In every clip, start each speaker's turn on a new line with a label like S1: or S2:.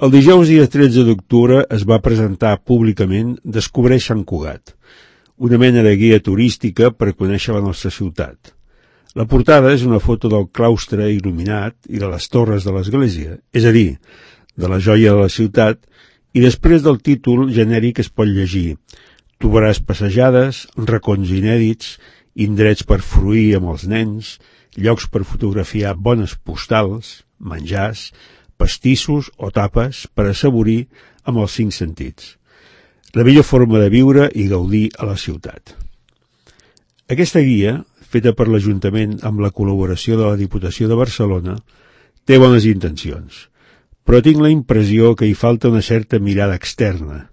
S1: El dijous dia 13 d'octubre es va presentar públicament Descobreix Sant Cugat, una mena de guia turística per conèixer la nostra ciutat. La portada és una foto del claustre il·luminat i de les torres de l'església, és a dir, de la joia de la ciutat, i després del títol genèric es pot llegir: trobaràs passejades, racons inèdits, indrets per fruir amb els nens, llocs per fotografiar bones postals, menjars, pastissos o tapes per assaborir amb els 5 sentits. La millor forma de viure i gaudir a la ciutat. Aquesta guia, feta per l'Ajuntament amb la col·laboració de la Diputació de Barcelona, té bones intencions, però tinc la impressió que hi falta una certa mirada externa.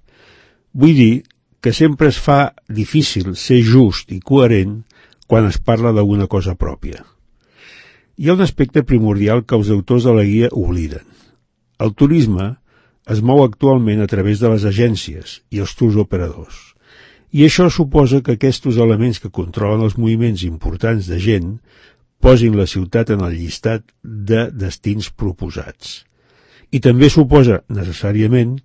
S1: Vull dir que sempre es fa difícil ser just i coherent quan es parla d'alguna cosa pròpia. Hi ha un aspecte primordial que els autors de la guia obliden. El turisme es mou actualment a través de les agències i els tours operadors. I això suposa que aquests elements que controlen els moviments importants de gent posin la ciutat en el llistat de destins proposats. I també suposa, necessàriament,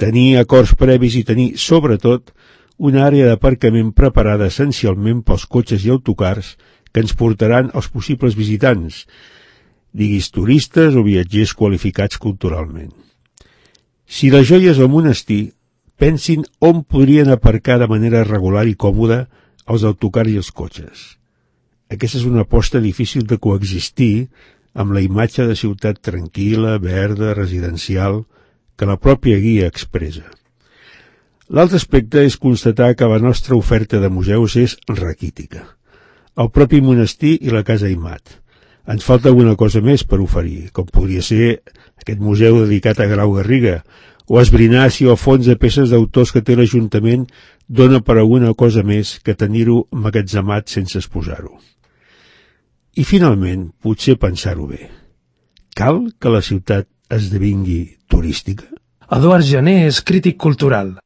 S1: tenir acords previs i tenir, sobretot, una àrea d'aparcament preparada essencialment pels cotxes i autocars que ens portaran als possibles visitants, diguis turistes o viatgers qualificats culturalment. Si la joia és el monestir, pensin on podrien aparcar de manera regular i còmoda els autocars i els cotxes. Aquesta és una aposta difícil de coexistir amb la imatge de ciutat tranquil·la, verda, residencial, que la pròpia guia expressa. L'altre aspecte és constatar que la nostra oferta de museus és raquítica. El propi monestir i la Casa Aimat. Ens falta alguna cosa més per oferir, com podria ser aquest museu dedicat a Grau Garriga, o esbrinar si el fons de peces d'autors que té l'Ajuntament dona per alguna cosa més que tenir-ho emmagatzemat sense exposar-ho. I finalment, potser pensar-ho bé. Cal que la ciutat esdevingui turística?
S2: Eduard Jané és crític cultural.